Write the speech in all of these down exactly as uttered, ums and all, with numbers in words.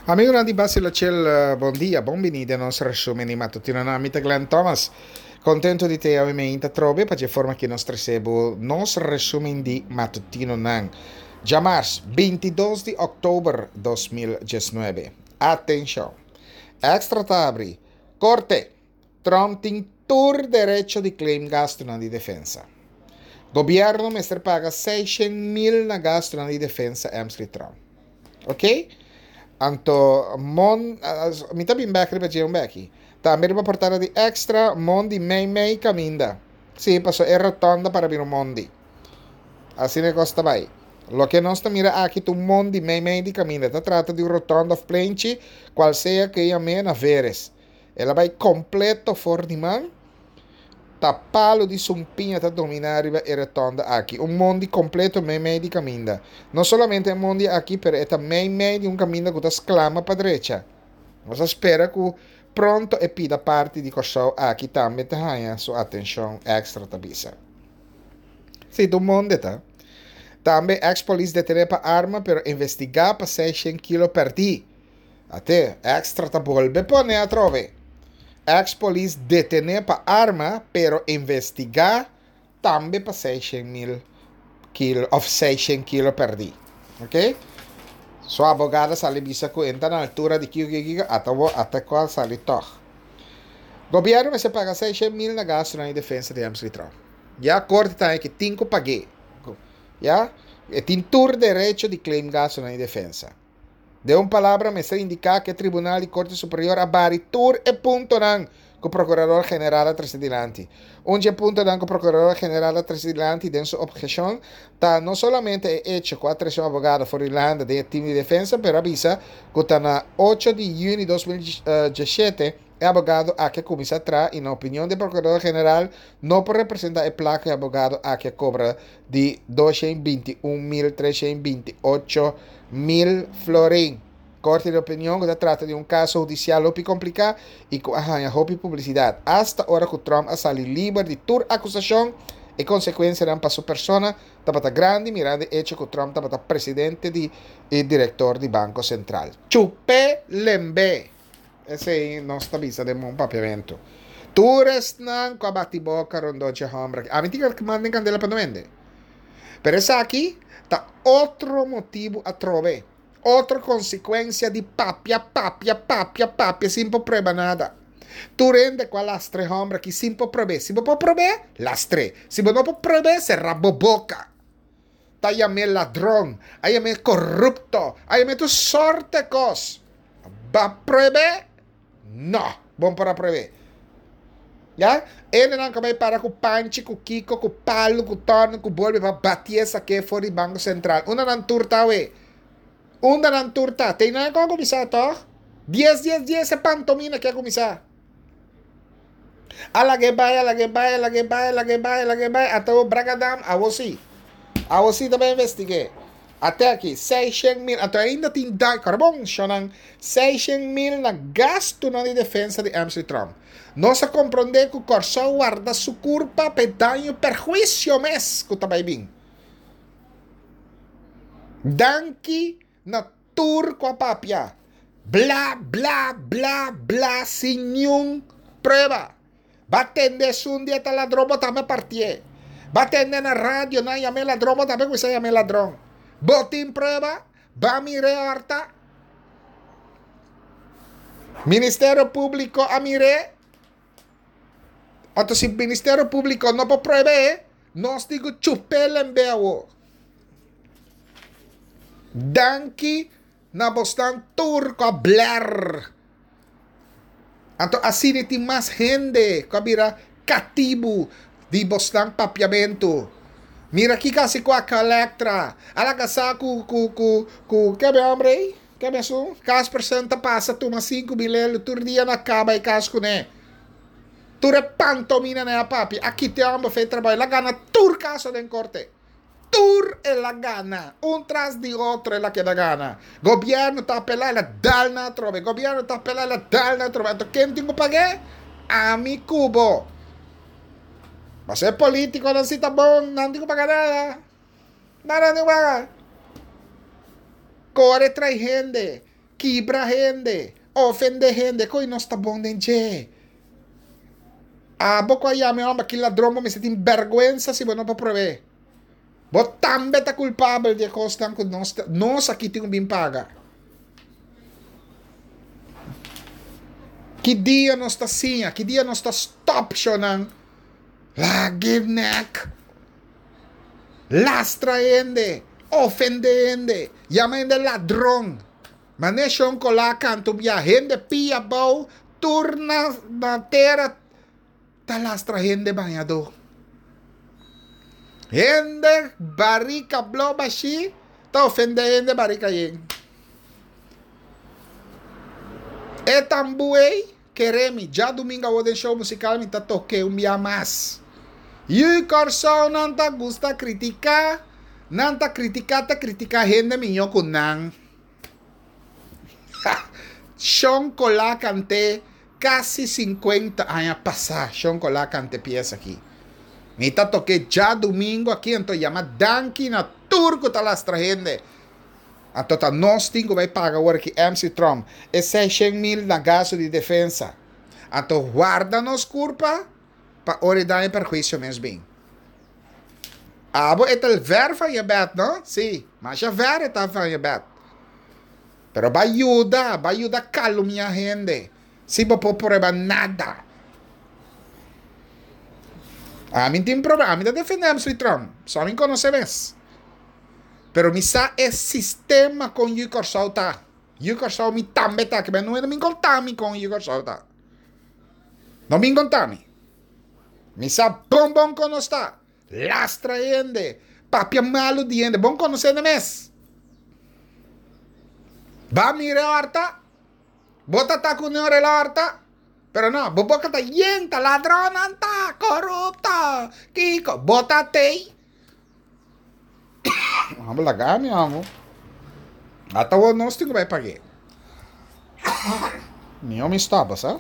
Amigonan di Basila Chill, bon dia, bon bini den nos resumen di matutino. Mi ta Glenn Thomas. Contento di te awe mainta trobe pa e forma cu nos trece bo nos resumen di matutino nan. Djamars, bintidos di october dos mil diesnuebe. Atencion. Extra ta habri. Corte. Trump tin tur derecho di claim gasto di defensa. Gobierno mester paga seishent mil na gasto di defensa Emsley Trump. Ok? Anto, mon, mi ta bin bek riba dje un beki. Tambe riba portada di Extra, mondi mei mei caminda. Si, paso e rotonda para bira mondi. Asina e cos ta bay. Loke nos ta mira aki ta un mondi mei mei di caminda. Ta trata di un rotonda of plenchi, cual sea cu yam'e na Veres. El a bay completo for di man. Ta palo di sumpiña ta domina riba e rotonda aki. Un mondi completo mei mei di caminda. No solamente e mondi aki, pero e ta mei mei di un caminda cu ta sclama pa drecha. Nos ta spera cu pronto e pida parti di Corsou aki tambe ta haya su atencion, Extra ta bisa. Si, ta un mondi ta. Tambe ex-polis detene pa arma, pero investiga pa seishent kilo perdi. Ate, Extra ta bolbe pone atrobe. Ex-polis detene pa arma, pero investiga tambe pa seishent mil kilo, of seishent kilo perdi. Ok? Su abogado sali bisa cu e ta na altura di kiko kiko, ata bo ata cual sali toch. Gobierno mester paga seishent mil na gasto na defensa di Emsley Trump. Ya corte ta cu tin cu pag'e. Ya? E tin tur derecho di claim gasto na defensa. Den un palabra, mester indica cu e Tribunal di Corte Superior a bari tur e puntonan cu Procurador General a trece dilanti. Un di e puntonan cu Procurador General a trece dilanti den su obhecion ta no solamente e hecho cu a trece un abogado for di Hulanda den team di defensa, pero a bisa cu ta na ocho di juni di dos mil diesshete e abogado aki a cuminsa traha y, na opinion di Procurador General, no por representa e placa cu e abogado aki a cobra di doscientos bintiun mil trescientos bintiocho mil florin. Corte di opinion cu ta trata di un caso hudicial hopi complica y cu a haya hopi publicidad. Hasta ora cu Trump a sali liber di tur acusacion, e consecuencianan pa su persona tabata grandi, mirando e hecho cu Trump tabata presidente di, y director di Banco Central. Chup'e lembe. Esey nos ta bisa den un papiamento. Tur esnan cu a bati boca rond dje homber. Ami tin cu manda candela pa no. Pero esaki ta otro motibo atrobe. Otro consecuencia di papia, papia, papia, papia, sin por prueba nada. Tur hende cu a lastra e homber aki sin por prueba. Si bo por prueba, lastr'e. Si bo no por prueba, cera bo boca. Ta yam'e ladron, a yam'e corupto, a yam'e tur sorto cos. B'a prueba? No, bo no por prueba. Ya? Hendenan cu bay para cu panchi, cu kiko, cu palo, cu torno, cu bolbe pa bati esaki for di Banco Central. Unda nan tur ta we? Unda nan tur ta? Tin nan cu cuminsa, toch? dies, dies, dies e pantomina cu a cuminsa. A lag'e bay, a lag'e bay, a lag'e bay, a lag'e bay, a lag'e bay. Ata o bragadam, awo si. Awo si tambe investig'e. Ate aki, seishent mil, anto ainda tin da, carbon, shonan, seishent mil na gasto na di defensa di Emsley Trump. Nos a comprende cu Corsou warda su curpa pe daño perhuicio mes cu ta bay bin. Danki na tur cu a papia. Bla, bla, bla, bla, sin ningun prueba. B'a tende un dia ta ladron, bo tambe parti'e. B'a tende na radio, nan yam'e ladron, bo tambe cuminsa yam'e ladron. Bo tin prueba, b'a mir'e horta. Ministerio Publico a mir'e. Anto si Ministerio Publico no por prueba, nos tin cu chup'e lembe awo. Danki na bosnan tur cu a bler. Anto asina tin mas hende cu a bira catibo di bosnan papiamento. Mira aki casi cu Aqualectra. Ala casa cu cu cu cu ke be hombre? Ke be su? Casper ta passa tuma cinco mil tur dia na caba e cas cune. Tur e pantomina na papi. Aki te homber fe trabalho. El a gana tur caso den corte. Tur el a gana. Un tras di otro el a keda gana. Gobierno ta apela, el a dal na atrobe. Gobierno ta apela, el a dal na atrobe. Anto ken tin cu pag'e? Ami cu bo. Mas e politiconan si ta bon, nan tin cu paga nada. Nada tin cu paga. Core tras hende. Kibra hende, ofendé hende, koi nos ta bon den dje. Abo ku a yama e hòmber aki ladron, bo mester tin bèrgwensa si bo no por prob'é. Bo tambe ta kulpabel di e kosnan ku nos nos aki tin ku bin paga. Ki dia nos ta siña? Ki dia nos ta stòp shownan? Lag'e nèk. Lastra hende, ofendé hende, yama hende ladron. Manera shon kolá kanta un bia, hende pia abou, tur na na tera ta lastra hende bañadó. Hende barika blo bashí ta ofendé hende barika yen. E tambú ei, kere mi, djadumingu awor den show musikal mi ta tok'é un bia mas. Yu Kòrsou nan ta gusta kritiká, nan ta kritiká ta kritiká hende mihó ku nan. Shon Colá kant'é kasi sinkuenta aña pasá, Shon Colá kant'é piesa aki. Mi ta tok'é djadumingu aki anto yama danki na tur ku ta lastra hende. Anto ta nos tin ku bai paga awor aki M C Tromp e seishen mil na gasto di defensa. Anto warda nos kurpa pa ora e daño perhuisio mes bin. Abo e ta ver van je bed, no? Si, masha ver e ta van je bed. Pero ba yuda, ba yuda kalumia hende. Si bo por prueba nada. Ami tin problema, ami ta defende M C Tromp, so ami konosé mes. Pero mi sa e sistema kon Yu Kòrsou ta. Yu Kòrsou mi tambe ta, ke no mi konta mi kon Yu Kòrsou ta. No mi konta mi. Mi sa bon bon kon nos ta. Lastra hende, papia malu di hende, bon konosé de mes. Ba mira horta, bota ta ku ne ora horta. Pero no, bo boca ta yen, ta ladrón, ta corrupto. Kiko, bota tei. Vamos lagar, mi amo. Ata o nos tin ku bai pagué. Mi homem stop, sa?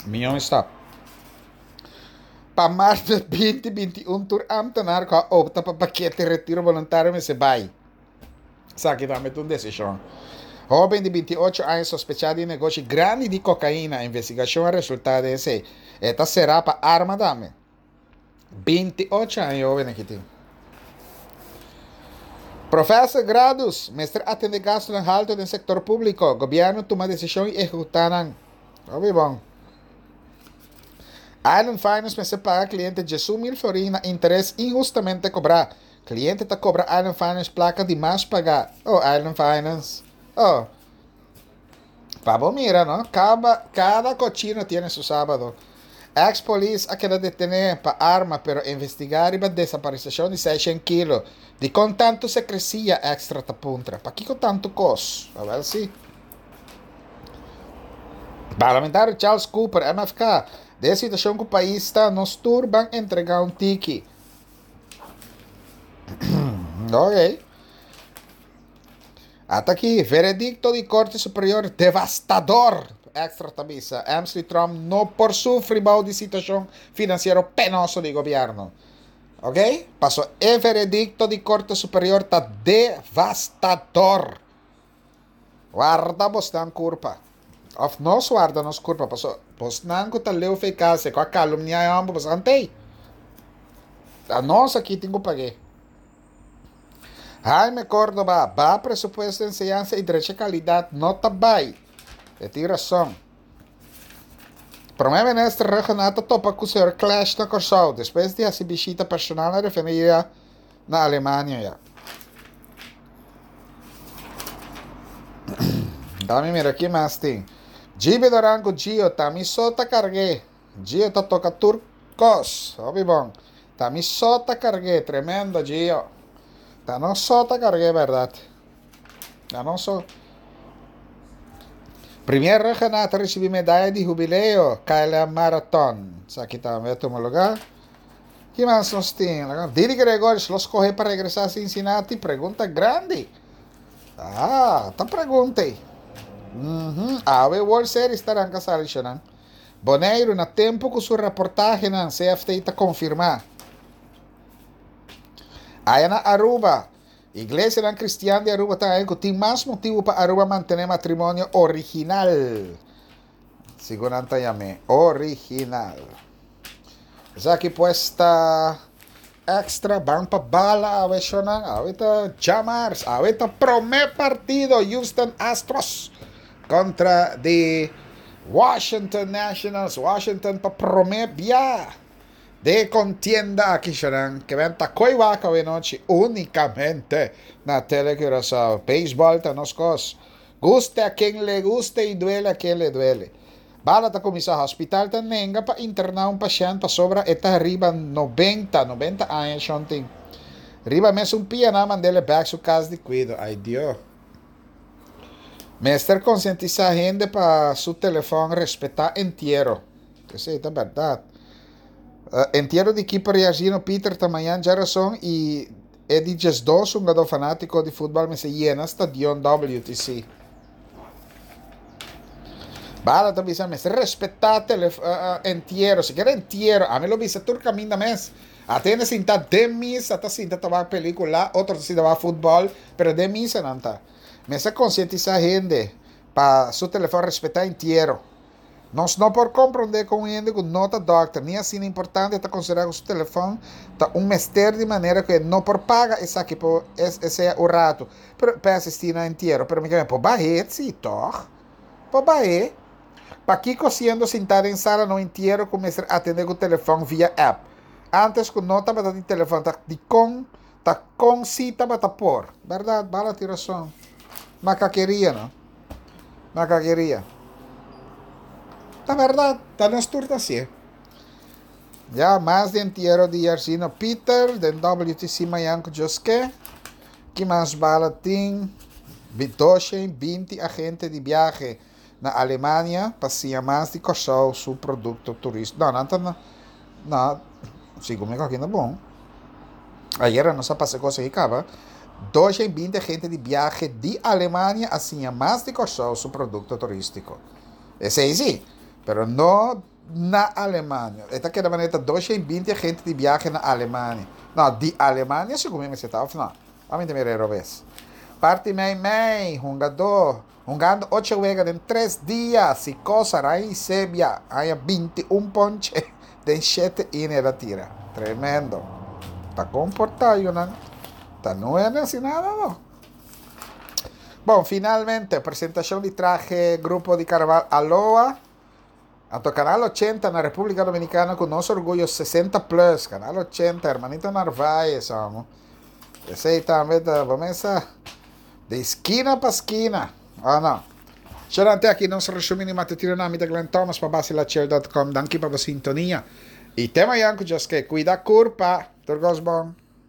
Mi homem stop. Pa maart binti binti i un tur ambtenaar ku a opta pa pakete retiro voluntario mester bai. Sa ki tambe ta un desishon. Hóben di binti i ocho aña sospechá di negoshi grandi di kokaina. Investigashon a resultá den esei. E ta será pa arma tambe. binti i ocho aña hóben aki tin. Professor Gradus mester atende gastunan haltu den sektor públiko. Gobièrnu tuma desishon i ehekutá nan. Hopi bon. Island Finance mester paga kliente diesun mil florin na interes inhustamente kobrá. Kliente ta kobra Island Finance plaka di mas pagá. Oh, Island Finance. Oh. Pa bo mira, no? Kaba, kada kochino tiene su sábado. Ex-polis a keda detené pa arma, pero investigá riba desaparisashon di seishen kilo. Dikon tantu sekresia? Extra ta puntra. Pakiko tantu kos? Awel si. Parlamentario Charles Cooper, M F K, Den e situashon ku pais ta, nos tur ban entregá un tiki. Ok. Ata aki, veredikto di Korte Superior devastador. Extra ta bisa, Emsley Tromp no por sufri bou di situashon finansiero penoso di gobièrnu. Ok? Paso e veredikto di Korte Superior ta devastador. Warda bosnan kurpa. Of nos warda nos kurpa. Paso bosnan ku ta leu fe kase, ku a kalumniá e hòmber, bosnan tei. Ta nos aki tin ku pag'é. Jaime Cordoba, baha presupuesto enseñansa i drecha kalidat no ta bai. E tin rason. Prome Minister Rhuggenaath ta topa ku señor Clash na Kòrsou despues di hasi bishita personal na refineria na Alemania ya. Dami mira ki mas tin. Gibi Doran ku Gio, ta mi so ta karg'é. Gio ta toka tur kos. Hopi bon. Ta mi so ta karg'é. Tremendo Gio. Ta nos so ta karg'é bèrdat. Ta nos so. Premier Rhuggenaath ta risibí medaya di hubileo K L M Marathon. Esaki tambe a tuma lugá. Ki mas nos tin? Didi Gregorius lo skohe pa regresá Cincinnati? Pregunta grandi. Ah, ta pregunta ei. Mm-hmm. Awe World Series ta ranka sali shonan. Boneiru na tempu ku su reportahenan C F T ta konfirmá. Aya na Aruba, Iglesianan Cristian di Aruba ta haña cu tin mas motibo pa Aruba mantene matrimonio original. Segun nan ta yam'e, original. Esaki pues ta Extra. Ban pa bala awe, shonnan. Awe ta djamars. Awe ta prome partido Houston Astros kontra di Washington Nationals. Washington pa prome bia de kontienda aki, shonnan. Ke ben ta koi wak awe nochi únikamente na Tele Curaçao. Beisbòl ta nos kos. Guste a ken le guste i duele a ken le duele. Bala ta kuminsá. Hospital ta nenga pa interná un pashènt pasobra e ta riba nobenta, nobenta aña shon tin. Riba mesun pia nan a mand'é bèk su kas di kuido. Ai Dio. Mester konsientisá hende pa su telefòn respetá entiero. Esei ta bèrdat. Entiero di kiper Jairzinho Pieter ta mañan djarason i e di diesdos hungadó fanátiko di futbòl mester yena stadion W T C. Bala ta bisa mester respetá entiero. Sikiera entiero, ami lo bisa tur kaminda mes. Atende sinta den misa ta sinta ta wak pelíkula, otro ta sinta wak futbòl, pero den misa nan ta. Mester konsientisá hende pa su telefòn respetá entiero. Nos no por komprondé kon un hende ku no ta dòkter ni asina importante ta konsiderá ku su telefòn ta un mester di manera ku e no por paga esaki por sea un ratu pero pa e asistí na entiero. Pero mi ke por bah'é sí tòg? Por bah'é. Pakiko siendo sintá den sala na un entiero ku mester atendé ku telefòn via app? Ántes ku no tabata tin telefòn ta dikon ta kon sí tabata por? Bèrdat, Bala tin rason. Makakeria no. Makakeria. Ta bèrdat, ta nos tur ta hasié. Ya, mas di entiero di Jairzinho Pieter den W T C mañan ku Dios ke. Ki mas Bala tin? Doshen binti agente di biahe na Alemania pa siña mas di Kòrsou su produkto turístiko. No, nan ta na, na, segun mi ku na bon. Ayera nos a pasa kos aki kaba. Doshen binti agente di biahe di Alemania a siña mas di Kòrsou su produkto turístiko. Esei sí, pero no na Alemania. E ta keda manera doshen binti agente di biahe na Alemania. No, di Alemania segun mi mester ta òf no? Ami ta mira robes. Parti mei mei, hungadó, hungando ocho wega den tres dia, Sikosa, Rai Sebia, haña binti un ponche den shete inning el a tira. Tremendo. Ta komportá yunan. Ta no e hasi nada no. Bon, finalmente, presentashon di trahe grupo di karnaval Aloha. Anto Canal ochenta na Repúblika Dominikana ku nos orguyo sesenta plus. Canal ochenta, Hermanito Narváez, amo. Esei tambe ta, mesa di skina pa skina. Ah, no. Xerante aki nos resumen di matutino na mi ta Glenn Thomas pa basilachel punto com. Danki pa bo sintonia. I te mañan ku Dios ke. Kuida kurpa. Tur kos bon.